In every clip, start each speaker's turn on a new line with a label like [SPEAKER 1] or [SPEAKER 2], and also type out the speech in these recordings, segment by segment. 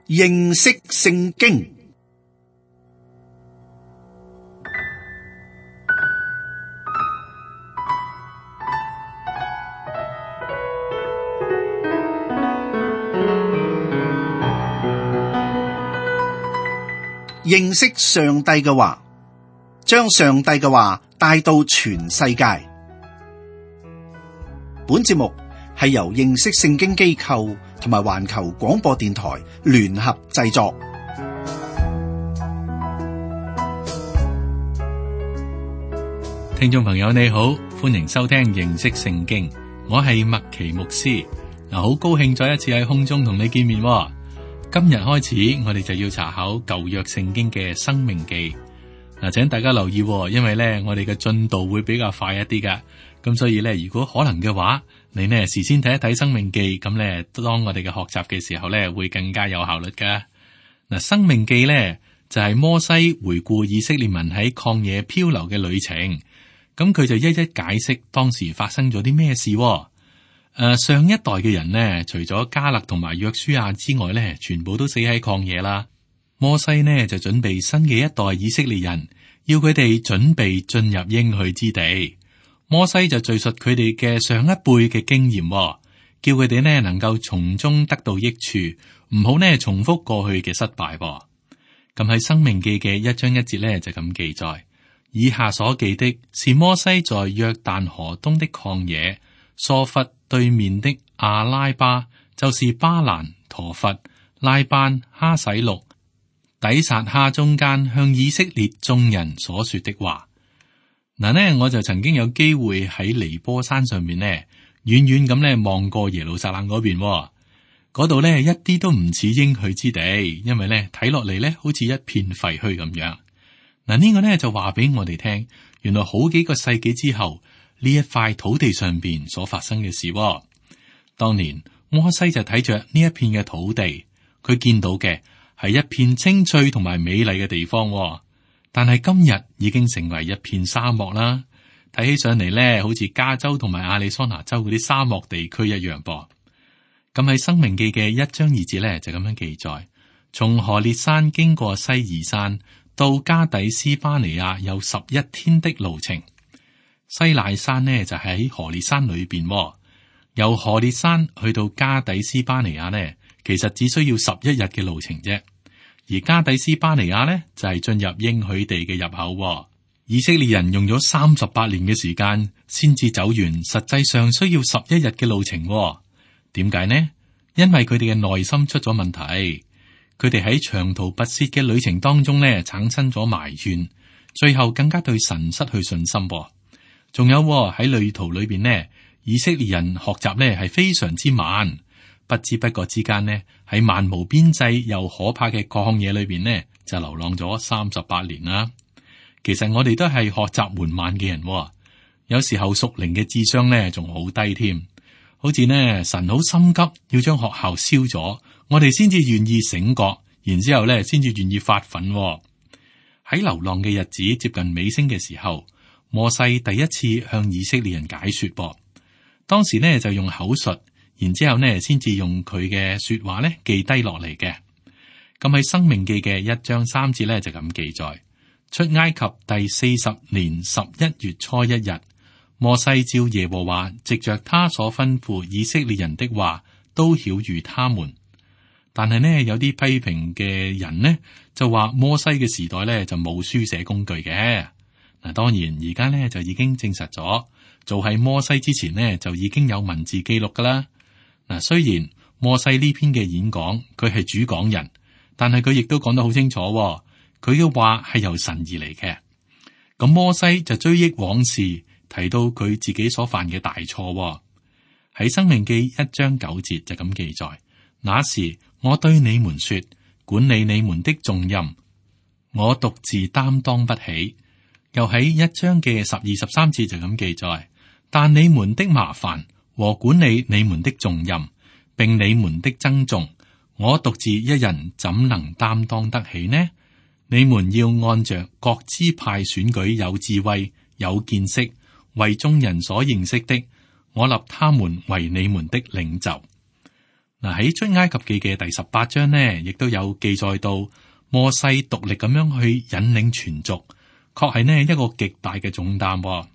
[SPEAKER 1] 認識聖經。認識上帝嘅話，將上帝嘅話帶到全世界。本節目係由認識聖經機構同埋環球廣播電台聯合製作。
[SPEAKER 2] 聽眾朋友你好，歡迎收聽認識聖經，我係麥奇牧師。好高興再一次喺空中同你見面。今日開始，我哋就要查考舊約聖經嘅申命記。請大家留意，因為咧我哋嘅進度會比較快一啲噶。咁所以咧，如果可能嘅話，你呢事先睇一睇申命記，咁咧當我哋嘅學習嘅時候咧，會更加有效率噶。申命記咧就係摩西回顧以色列民喺曠野漂流嘅旅程，咁佢就一一解釋當時發生咗啲咩事。上一代嘅人呢，除咗迦勒同埋約書亞之外呢，全部都死喺曠野啦。摩西呢就準備新嘅一代以色列人，要佢哋準備進入應許之地。摩西就敘述佢哋嘅上一輩嘅經驗，叫佢哋呢能夠從中得到益處，唔好呢重複過去嘅失敗。咁喺申命記嘅1章1節呢就咁記載，以下所記的是摩西在約旦河東的曠野，疏弗對面的阿拉巴，就是巴蘭、陀弗、拉班、哈洗錄、底撒哈中間向以色列眾人所說的話。我就曾經有機會喺尼波山上面呢，遠遠咁呢望過耶路撒冷嗰邊，嗰度呢一啲都唔似應許之地，因為呢睇落嚟呢好似一片廢墟咁樣。呢個呢就話俾我哋聽，原來好幾個世紀之後，呢一塊土地上邊所發生嘅事。當年摩西就睇着呢一片嘅土地，佢見到嘅係一片青翠同埋美麗嘅地方，但係今日已經成為一片沙漠啦。睇起上嚟咧，好似加州同埋亞利桑那州嗰啲沙漠地區一樣噃。咁喺申命記嘅1章2節咧就咁樣記載，從何烈山經過西珥山到加底斯巴尼亞有11天的路程。西乃山呢就喺何烈山裏邊，由何烈山去到加底斯巴尼亞呢，其實只需要11日嘅路程啫。而加底斯巴尼亞呢就係進入應許地嘅入口。以色列人用咗38年嘅時間先至走完，實際上需要11日嘅路程。點解呢？因為佢哋嘅內心出咗問題，佢哋喺長途跋涉嘅旅程當中呢產生咗埋怨，最後更加對神失去信心。仲有喺旅途裏邊呢，以色列人學習呢係非常之慢，不知不覺之間呢喺漫無邊際又可怕嘅曠野裏邊呢就流浪咗38年啦。其實我哋都係學習緩慢嘅人，有時候屬靈嘅智商呢仲好低添，好似呢神好心急要將學校燒咗，我哋先至願意醒覺，然之後呢先至願意發奮。喺流浪嘅日子接近尾聲嘅時候，摩西第一次向以色列人解說噃，當時呢就用口述，然之後呢先至用佢嘅說話呢記低落嚟嘅。咁喺申命記嘅1章3節呢就咁記載，出埃及第40年11月初1日，摩西照耶和華藉着他所吩咐以色列人的話，都曉諭他們。但係呢有啲批評嘅人呢就話摩西嘅時代呢就冇書寫工具嘅。當然而家呢就已經證實咗，做喺摩西之前呢就已經有文字記錄噶啦。雖然摩西呢篇嘅演講佢係主講人，但係佢亦都講得好清楚，佢嘅話係由神而嚟嘅。咁摩西就追憶往事，提到佢自己所犯嘅大錯。喺申命記1章9節就咁記載，那時我對你們說，管理你們的重任，我獨自擔當不起。又喺1章嘅12、13節就咁記載，但你們的麻煩和管理你們的重任，並你們的增重，我獨自一人怎能擔當得起呢？你們要按着各支派選舉有智慧、有見識、為眾人所認識的，我立他們為你們的領袖。嗱，喺出埃及記嘅第18章呢，亦都有記載到摩西獨力咁樣去引領全族，確係呢一個極大嘅重擔。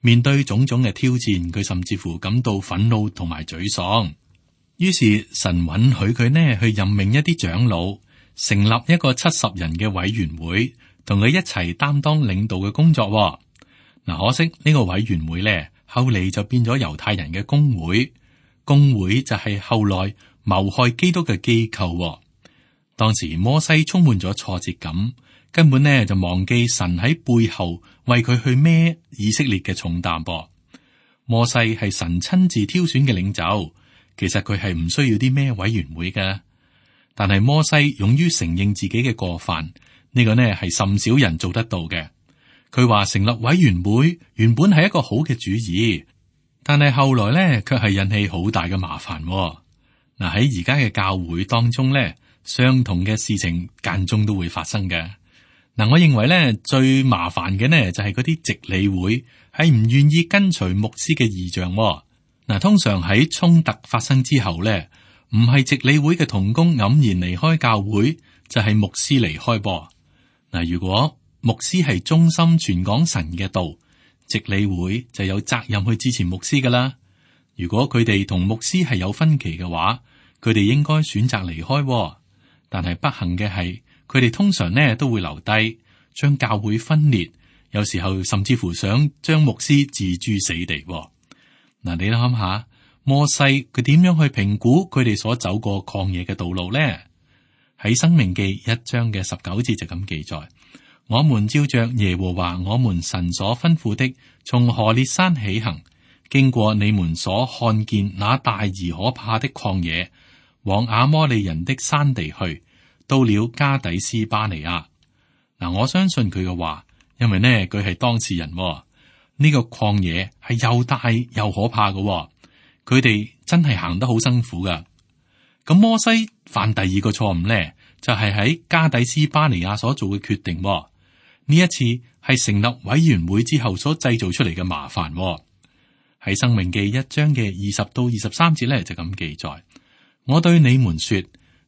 [SPEAKER 2] 面對種種嘅挑戰，佢甚至乎感到憤怒同埋沮喪。於是神允許佢呢去任命一啲長老，成立一個70人嘅委員會，同佢一齊擔當領導嘅工作。嗱，可惜呢個委員會呢，後嚟就變咗猶太人嘅公會，公會就係後來謀害基督嘅機構。當時摩西充滿咗挫折感，根本呢就忘記神喺背後為佢去孭以色列嘅重擔噃。摩西係神親自挑選嘅領袖，其實佢係唔需要啲咩委員會嘅。但係摩西勇於承認自己嘅過犯，呢個呢係甚少人做得到嘅。佢話成立委員會原本係一個好嘅主意，但係後來呢卻係引起好大嘅麻煩。嗱，喺而家嘅教會當中呢，相同嘅事情間中都會發生嘅。嗱，我認為呢最麻煩嘅呢就係嗰啲籍理會係唔願意跟隨牧師嘅異象。嗱，通常喺衝突發生之後呢，唔係籍理會嘅同工黯然離開教會，就係牧師離開噃。嗱，如果牧師係忠心傳講神嘅道，籍理會就有責任去支持牧師噶啦。如果佢哋同牧師係有分歧嘅話，佢哋應該選擇離開。但係不幸嘅係，佢哋通常呢都會留低，將教會分裂，有時候甚至乎想將牧師置諸死地。嗱，你諗下，摩西佢點樣去評估佢哋所走過曠野嘅道路呢？喺申命記1章嘅19節就咁記載：我們照着耶和華我們神所吩咐的，從何烈山起行，經過你們所看見那大而可怕的曠野，往亞摩利人的山地去，到了加底斯巴尼亞。嗱，我相信佢嘅話，因為呢佢係當事人。呢個曠野係又大又可怕嘅，佢哋真係行得好辛苦噶。咁摩西犯第二個錯誤呢，就係喺加底斯巴尼亞所做嘅決定。呢一次係成立委員會之後所製造出嚟嘅麻煩。喺申命記1章嘅20到23節呢，就咁記載：我對你們說，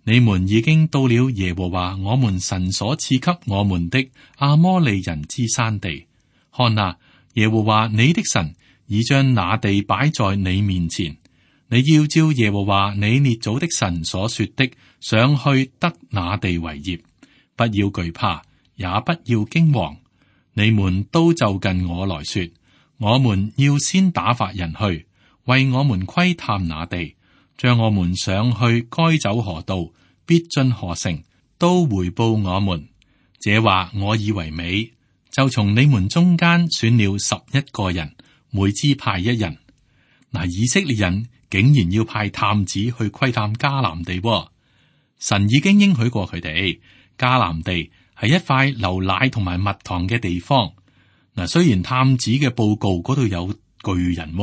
[SPEAKER 2] 你們已經到了耶和華我們神所賜給我們的亞摩利人之山地。看哪，耶和華你的神已將那地擺在你面前，你要照耶和華你列祖的神所說的，上去得那地為業，不要懼怕，也不要驚惶。你們都就近我來說，我們要先打發人去，為我們窺探那地，將我們上去該走何道，必進何城，都回報我們。這話我以為美。就從你們中間選了11個人，每支派1人。嗱，以色列人竟然要派探子去窺探迦南地。神已經應許過佢哋，迦南地係一塊流奶同埋蜜糖嘅地方。嗱，雖然探子嘅報告嗰度有巨人，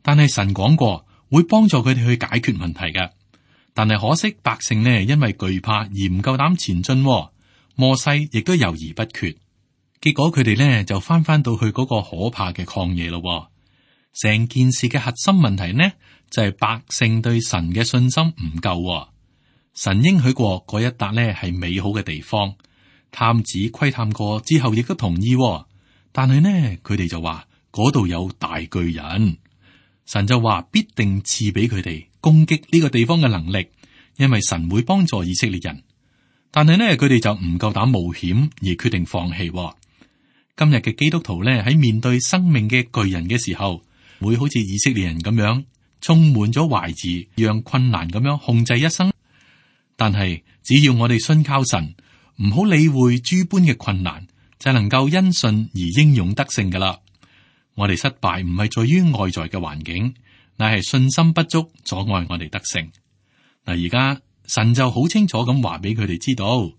[SPEAKER 2] 但係神講過會幫助佢哋去解決問題嘅。但係可惜百姓呢，因為懼怕而唔夠膽前進。摩西亦都猶豫不決。結果佢哋呢就翻到去嗰個可怕嘅曠野咯。成件事嘅核心問題呢就係百姓對神嘅信心唔夠。神應許過嗰一笪呢係美好嘅地方，探子窺探過之後亦都同意。但係呢佢哋就話嗰度有大巨人，神就話必定賜俾佢哋攻擊呢個地方嘅能力，因為神會幫助以色列人。但係呢佢哋就唔夠膽冒險而決定放棄。今日嘅基督徒咧，喺面對生命嘅巨人嘅時候，會好似以色列人咁樣，充滿咗懷疑，讓困難咁樣控制一生。但係只要我哋信靠神，唔好理會諸般嘅困難，就能夠因信而英勇得勝噶啦。我哋失敗唔係在於外在嘅環境，乃係信心不足阻礙我哋得勝。嗱，而家神就好清楚咁話俾佢哋知道，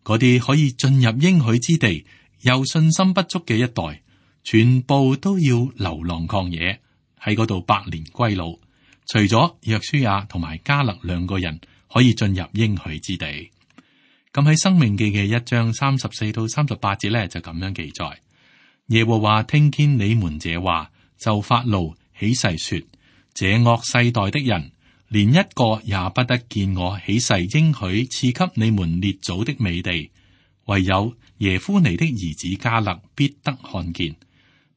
[SPEAKER 2] 嗰啲可以進入應許之地又信心不足嘅一代，全部都要流浪曠野，喺嗰度百年歸老。除咗約書亞同埋迦勒2個人可以進入應許之地。咁喺申命記嘅1章34到38節咧，就咁樣記載：耶和華聽見你們這話，就發怒起誓說：這惡世代的人，連一個也不得見我起誓應許賜給你們列祖的美地，唯有耶夫尼的兒子迦勒必得看見，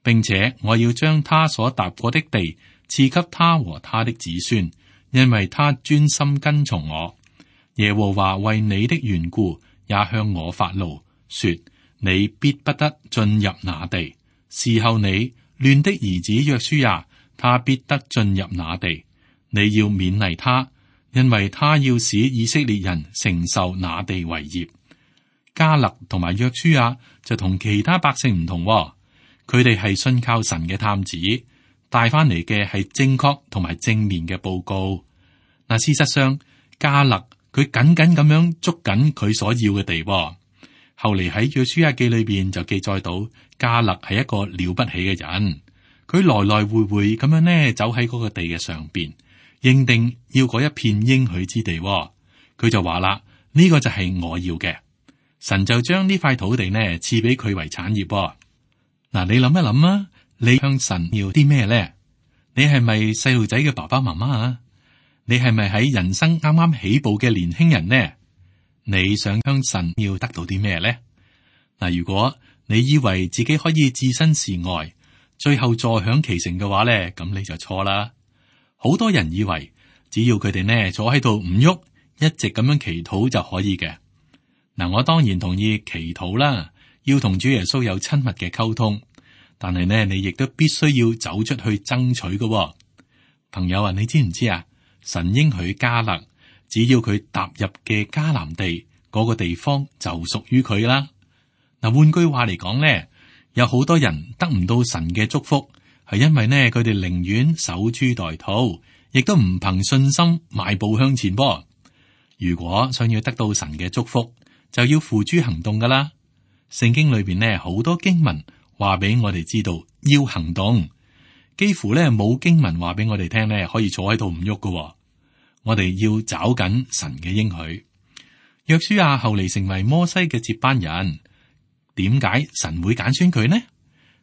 [SPEAKER 2] 並且我要將他所踏過的地賜給他和他的子孫，因為他專心跟從我。耶和華為你的緣故也向我發怒，說你必不得進入那地。伺候你亂的兒子約書亞，他必得進入那地。你要勉勵他，因為他要使以色列人承受那地為業。迦勒同埋約書亞就同其他百姓唔同，佢哋係信靠神嘅探子，帶翻嚟嘅係正確同埋正面嘅報告。嗱，事實上迦勒佢緊緊咁樣捉緊佢所要嘅地。後嚟喺約書亞記裏邊就記載到迦勒係一個了不起嘅人，佢來來回回咁樣呢走喺嗰個地嘅上邊，認定要嗰一片應許之地。佢就話啦，呢個就係我要嘅，神就將呢塊土地呢賜俾佢為產業。嗱，你諗一諗啊，你向神要啲咩咧？你係咪細路仔嘅爸爸媽媽啊？你係咪喺人生啱啱起步嘅年輕人呢？你想向神要得到啲咩咧？嗱，如果你以為自己可以置身事外，最後坐享其成嘅話咧，咁你就錯啦。好多人以為只要佢哋呢坐喺度唔喐，一直咁樣祈禱就可以嘅。嗱，我當然同意祈禱啦，要同主耶穌有親密嘅溝通，但係呢，你亦都必須要走出去爭取嘅。朋友啊，你知唔知啊？神應許迦勒，只要佢踏入嘅迦南地嗰個地方就屬於佢啦。嗱，換句話嚟講呢，有好多人得唔到神嘅祝福，係因為呢佢哋寧願守株待兔，亦都唔憑信心邁步向前噃。如果想要得到神嘅祝福，就要付諸行動噶啦。聖經裏邊呢好多經文話俾我哋知道要行動，幾乎呢冇經文話俾我哋聽呢可以坐喺度唔喐噶。我哋要找緊神嘅應許。約書亞後嚟成為摩西嘅接班人，點解神會揀選佢呢？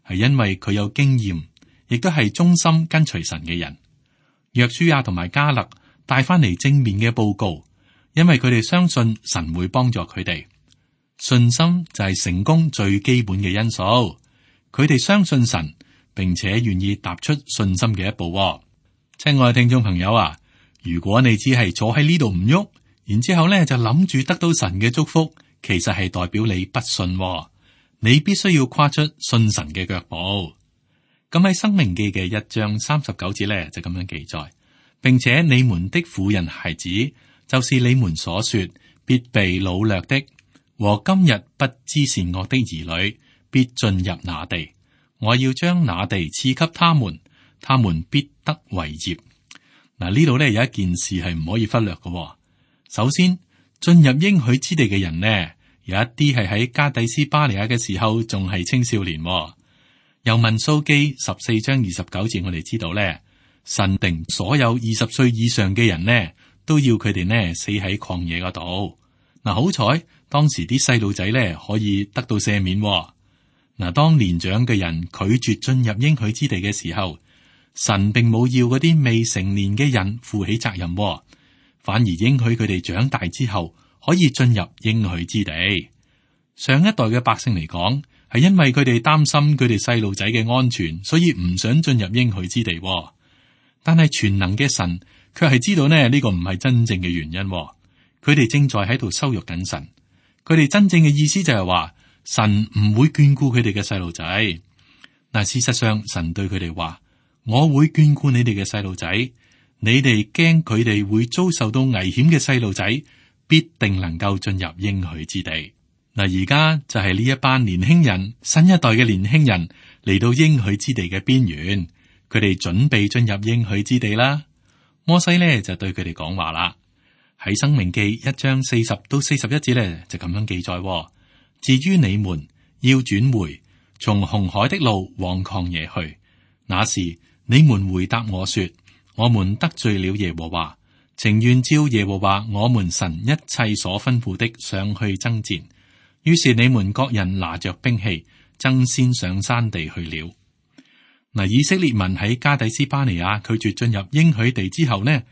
[SPEAKER 2] 係因為佢有經驗，亦都係忠心跟隨神嘅人。約書亞同埋迦勒帶翻嚟正面嘅報告，因為佢哋相信神會幫助佢哋。信心就係成功最基本嘅因素。佢哋相信神，並且願意踏出信心嘅一步。親愛嘅聽眾朋友啊，如果你只係坐喺呢度唔喐，然之後咧就諗住得到神嘅祝福，其實係代表你不信。你必須要跨出信神嘅腳步。咁喺申命記嘅1章39節咧就咁樣記載，並且你們的婦人孩子，就是你們所說必被擄掠的，和今日不知善惡的兒女，必進入那地。我要將那地賜給他們，他們必得為業。嗱，呢度咧有一件事係唔可以忽略嘅。首先，進入應許之地嘅人呢，有一啲係喺加底斯巴尼亞嘅時候仲係青少年。由民數記14章29節，我哋知道咧，神定所有20歲以上嘅人呢，都要佢哋呢死喺曠野嗰度。嗱，好彩當時啲細路仔咧可以得到赦免。嗱，當年長嘅人拒絕進入應許之地嘅時候，神並冇要嗰啲未成年嘅人負起責任，反而應許佢哋長大之後可以進入應許之地。上一代嘅百姓嚟講，係因為佢哋擔心佢哋細路仔嘅安全，所以唔想進入應許之地。但係全能嘅神卻係知道呢個唔係真正嘅原因。佢哋正在喺度羞辱緊神。佢哋真正嘅意思就係話，神唔會眷顧佢哋嘅細路仔。嗱，事實上神對佢哋話，我會眷顧你哋嘅細路仔，你哋驚佢哋會遭受到危險嘅細路仔，必定能夠進入應許之地。嗱，而家就係呢一班年輕人，新一代嘅年輕人嚟到應許之地嘅邊緣，佢哋準備進入應許之地啦。摩西呢就對佢哋講話啦，喺申命記1章40到41節呢就咁樣記載。至於你們要轉回，從紅海的路往曠野去，那時你們回答我說，我們得罪了耶和華，情願照耶和華我們神一切所吩咐的上去爭戰。於是你們各人拿着兵器，爭先上山地去了。嗱，以色列民喺加底斯巴尼亞拒絕進入應許地之後呢，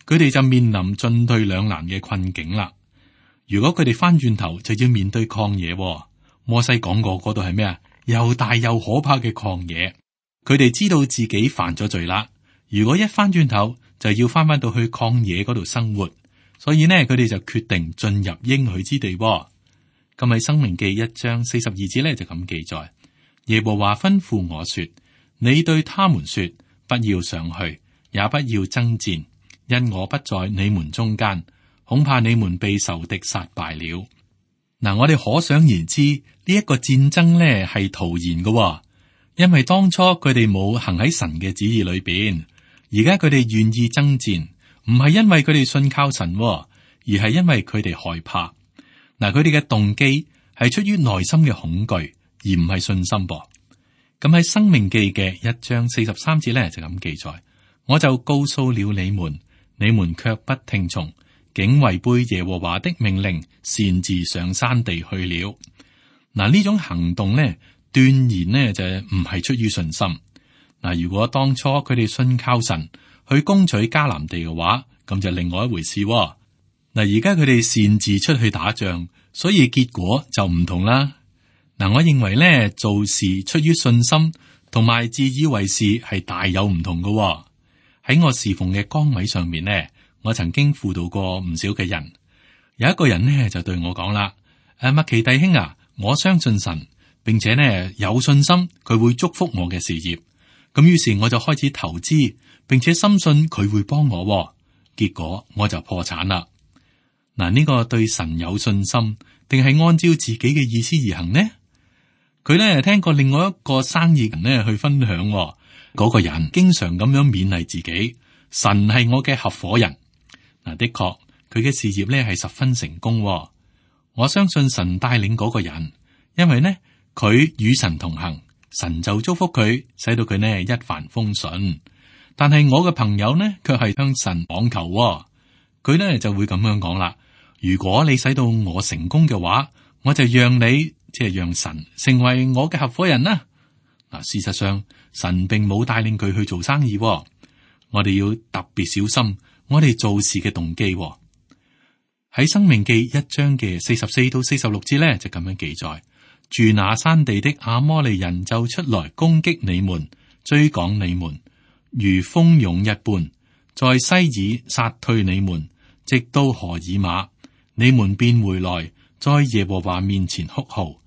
[SPEAKER 2] 佢哋就面臨進退兩難嘅困境啦。如果佢哋翻轉頭，就要面對曠野。摩西講過嗰度係咩啊？又大又可怕嘅曠野。佢哋知道自己犯咗罪啦。如果一翻轉頭，就要翻到去曠野嗰度生活。所以呢，佢哋就決定進入應許之地。咁喺申命記1章42節呢，就咁記載：耶和華吩咐我說，你對他們說，不要上去，也不要爭戰，因我不在你們中間，恐怕你們被仇敵殺敗了。嗱，我哋可想而知呢一個戰爭呢係徒然嘅，因為當初佢哋冇行喺神嘅旨意裏邊，而家佢哋願意爭戰，唔係因為佢哋信靠神，而係因為佢哋害怕。嗱，佢哋嘅動機係出於內心嘅恐懼，而唔係信心噃。咁喺申命記嘅1章43節咧就咁記載：我就告訴了你們，你們卻不聽從，竟違背耶和華的命令，擅自上山地去了。嗱，呢種行動呢，斷然呢就唔係出於信心。嗱，如果當初佢哋信靠神去攻取迦南地嘅話，咁就另外一回事。嗱，而家佢哋擅自出去打仗，所以結果就唔同啦。嗱，我認為咧，做事出於信心同埋自以為是係大有唔同嘅。喺我侍奉嘅崗位上面呢，我曾經輔導過唔少嘅人。有一個人呢就對我講啦：麥奇弟兄啊，我相信神，並且呢有信心佢會祝福我嘅事業。咁於是我就開始投資，並且深信佢會幫我。結果我就破產啦。嗱，呢個對神有信心，定係按照自己嘅意思而行呢？佢咧聽過另外一個生意人咧去分享，嗰個人經常咁樣勉勵自己，神係我嘅合夥人。嗱，的確佢嘅事業咧係十分成功。我相信神帶領嗰個人，因為呢佢與神同行，神就祝福佢，使到佢呢一帆風順。但係我嘅朋友呢，卻係向神妄求。佢呢就會咁樣講啦：如果你使到我成功嘅話，我就讓你。即係讓神成為我嘅合夥人啦。嗱，事實上神並冇帶領佢去做生意。我哋要特別小心我哋做事嘅動機。喺申命記1章嘅44到46節咧，就咁樣記載：住那山地的亞摩利人就出來攻擊你們，追趕你們，如蜂湧一般，在西爾殺退你們，直到何爾瑪，你們便回來，在耶和華面前哭號。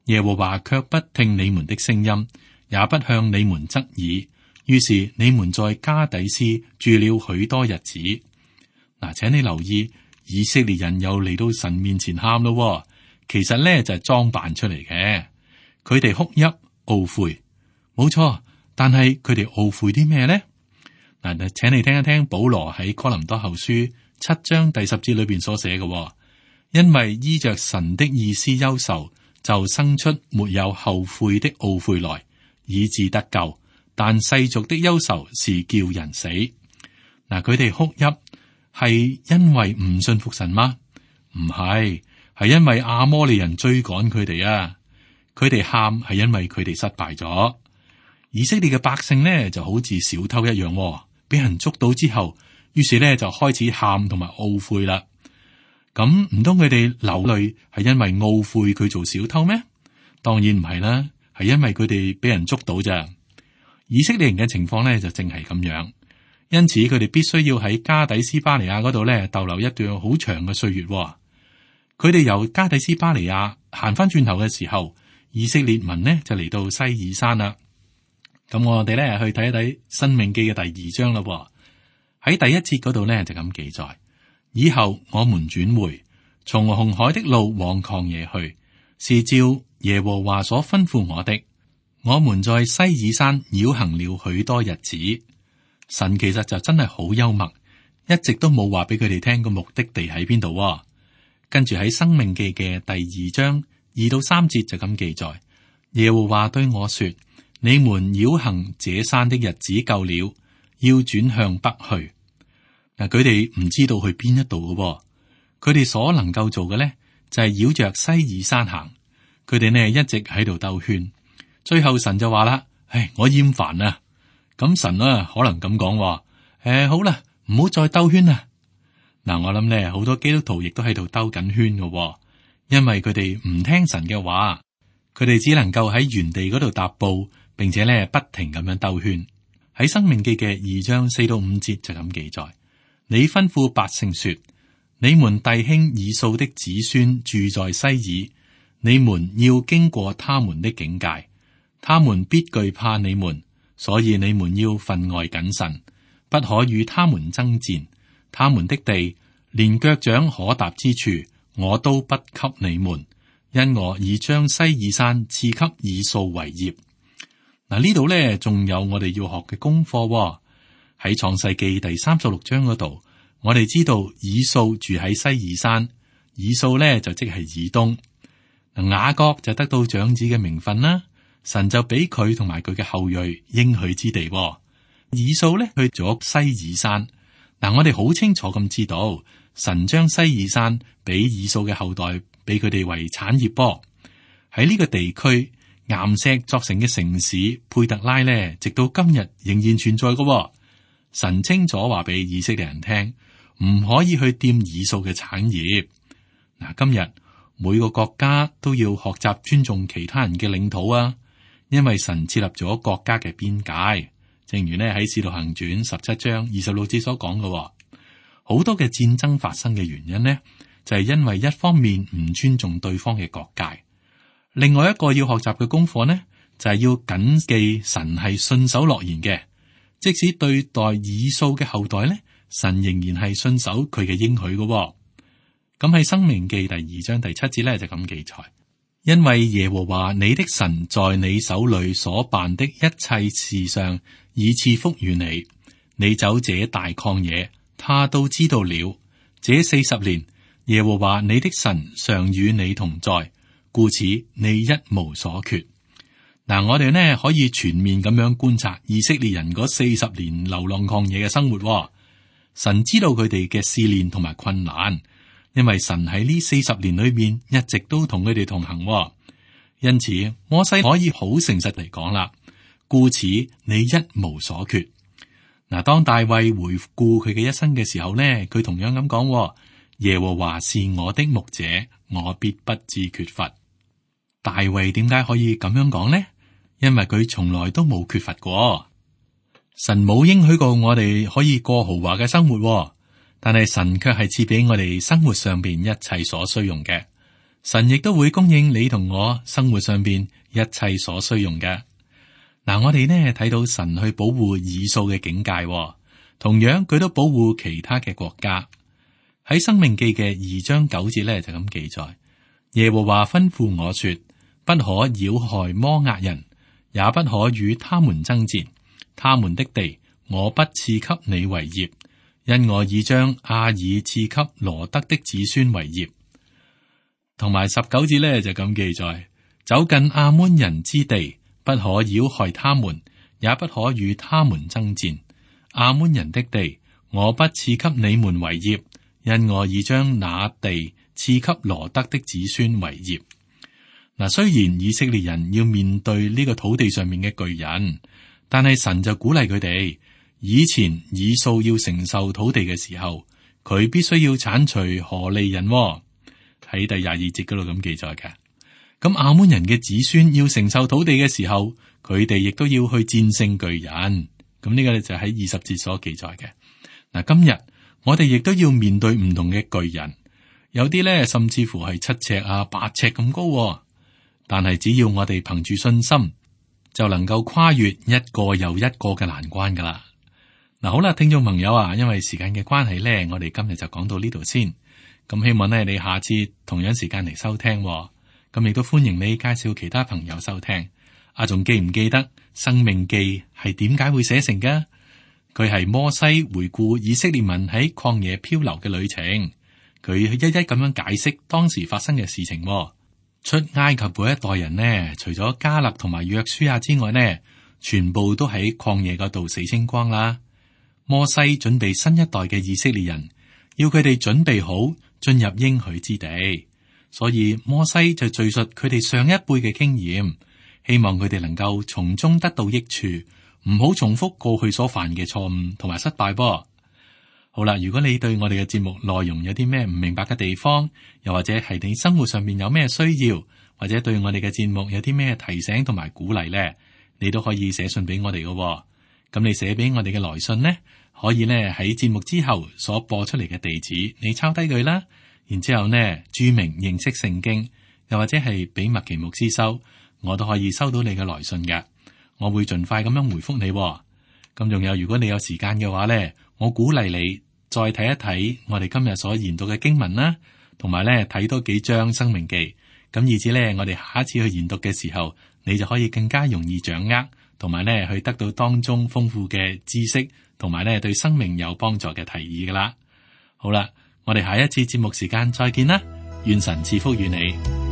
[SPEAKER 2] 耶和華卻不聽你們的聲音，也不向你們側耳。於是你們在加底斯住了許多日子。嗱，請你留意，以色列人又嚟到神面前喊咯。其實咧就係裝扮出嚟嘅。佢哋哭泣懊悔，冇錯。但係佢哋懊悔啲咩咧？嗱，請你聽一聽保羅喺哥林多後書7章第10節裏邊所寫嘅。因為依着神的意思憂愁，就生出沒有後悔的懊悔來，以致得救。但世俗的憂愁是叫人死。嗱，佢哋哭泣係因為唔信服神嗎？唔係，係因為亞摩利人追趕佢哋啊！佢哋喊係因為佢哋失敗咗。以色列嘅百姓呢就好似小偷一樣，俾人捉到之後，於是呢就開始喊同埋懊悔啦。咁唔通佢哋流淚係因為懊悔佢做小偷咩？當然唔係啦，係因為佢哋俾人捉到咋。以色列人嘅情況咧就正係咁樣，因此佢哋必須要喺加底斯巴尼亞嗰度咧逗留一段好長嘅歲月。佢哋由加底斯巴尼亞行翻轉頭嘅時候，以色列民呢就嚟到西爾山啦。咁我哋咧去睇一睇《申命記》嘅第2章啦。喺第1節嗰度咧就咁記載。以後我們轉回，從紅海的路往曠野去，是照耶和華所吩咐我的。我們在西爾山繞行了許多日子。神其實就真係好幽默，一直都冇話俾佢哋聽個目的地喺邊度。跟住喺申命記嘅第2章2到3節就咁記載：耶和華對我說，你們繞行這山的日子夠了，要轉向北去。嗱，佢哋唔知道去邊一度嘅，佢哋所能夠做嘅咧就係繞着西爾山行。佢哋呢一直喺度兜圈，最後神就話啦：唉，我厭煩啦。咁神啊可能咁講話：好啦，唔好再兜圈啦，嗱，我諗咧好多基督徒亦都喺度兜緊圈嘅，因為佢哋唔聽神嘅話，佢哋只能夠喺原地嗰度踏步，並且咧不停咁樣兜圈。喺申命記嘅2章4到5節就咁記載：你吩咐百姓說，你們弟兄以掃的子孫住在西珥，你們要經過他們的境界，他們必懼怕你們，所以你們要分外謹慎，不可與他們爭戰。他們的地連腳掌可踏之處，我都不給你們，因我已將西珥山賜給以掃為業。嗱，呢度咧仲有我哋要學嘅功課喎。喺創世記第36章嗰度，我哋知道以掃住喺西珥山，以掃咧就即係以東。雅各就得到長子嘅名分啦，神就俾佢同埋佢嘅後裔應許之地喎。以掃咧去咗西珥山。嗱，我哋好清楚咁知道，神將西珥山俾以掃嘅後代，俾佢哋為產業噃。喺呢個地區，岩石作成嘅城市佩特拉咧，直到今日仍然存在嘅喎。神清楚話俾以色列人聽，唔可以去掂以掃嘅產業。嗱，今日每個國家都要學習尊重其他人嘅領土啊，因為神設立咗國家嘅邊界。正如呢喺《使徒行傳》17章26節所講嘅，好多嘅戰爭發生嘅原因呢，就係因為一方面唔尊重對方嘅國界。另外一個要學習嘅功課呢，就係要謹記神係信守諾言嘅，即使對待以掃嘅後代呢，神仍然係信守佢嘅應許嘅。咁喺《申命記》第2章第7節呢，就咁記載。因為耶和華你的神在你手裏所辦的一切事上，已賜福與你。你走這大曠野，他都知道了。這40年，耶和華你的神常與你同在，故此你一無所缺。嗱，我哋呢可以全面咁樣觀察以色列人嗰40年流浪曠野嘅生活。神知道佢哋嘅試煉同埋困難。因為神喺呢40年裏面一直都同佢哋同行，因此摩西可以好誠實嚟講啦。故此你一無所缺。嗱，當大衛回顧佢嘅一生嘅時候呢，佢同樣咁講：耶和華是我的牧者，我必不致缺乏。大衛點解可以咁樣講呢？因為佢從來都冇缺乏過。神冇應許過我哋可以過豪華嘅生活。但係神卻係賜俾我哋生活上邊一切所需用嘅，神亦都會供應你同我生活上邊一切所需用嘅。嗱，我哋呢睇到神去保護以掃嘅境界，同樣佢都保護其他嘅國家。喺申命記嘅2章9節呢，就咁記載：耶和華吩咐我說，不可擾害摩押人，也不可與他們爭戰，他們的地我不賜給你為業。因我已將亞爾賜給羅得的子孫為業。同埋19節呢，就咁記載：走近亞捫人之地，不可擾害他們，也不可與他們爭戰。亞捫人的地，我不賜給你們為業，因我已將那地賜給羅得的子孫為業。嗱，雖然以色列人要面對呢個土地上面嘅巨人，但係神就鼓勵佢哋。以前以掃要承受土地嘅時候，佢必須要鏟除何利人，喺第22節嗰度咁記載嘅。咁亞捫人嘅子孫要承受土地嘅時候，佢哋亦都要去戰勝巨人。咁呢個就喺20節所記載嘅。嗱，今日我哋亦都要面對唔同嘅巨人，有啲咧甚至乎係7尺8尺咁高，但係只要我哋憑住信心，就能夠跨越一個又一個嘅難關噶啦。嗱，好啦，聽眾朋友啊，因為時間嘅關係咧，我哋今日就講到呢度先。咁希望咧你下次同樣時間嚟收聽，咁亦都歡迎你介紹其他朋友收聽。仲記唔記得申命記係點解會寫成嘅？佢係摩西回顧以色列民喺曠野漂流嘅旅程，佢一一咁樣解釋當時發生嘅事情。出埃及嗰一代人呢，除咗迦勒同埋約書亞之外呢，全部都喺曠野嗰度死清光啦。摩西準備新一代嘅以色列人，要佢哋準備好進入應許之地，所以摩西就敘述佢哋上一輩嘅經驗，希望佢哋能夠從中得到益處，唔好重複過去所犯嘅錯誤同埋失敗噃。好啦，如果你對我哋嘅節目內容有啲咩唔明白嘅地方，又或者係你生活上面有咩需要，或者對我哋嘅節目有啲咩提醒同埋鼓勵呢，你都可以寫信俾我哋嘅。咁你寫俾我哋嘅來信呢，可以呢喺節目之後所播出嚟嘅地址，你抄低佢啦，然之後呢注明認識聖經，又或者係俾麥奇牧師收，我都可以收到你嘅來信嘅。我會盡快咁樣回覆你。咁仲有，如果你有時間嘅話呢，我鼓勵你再睇一睇我哋今日所研讀嘅經文啦，同埋呢睇多幾章申命記，咁以至呢我哋下一次去研讀嘅時候，你就可以更加容易掌握，同埋呢去得到當中豐富嘅知識，同埋呢對生命有幫助嘅提議噶啦。好啦，我哋下一次節目時間再見啦，願神賜福與你。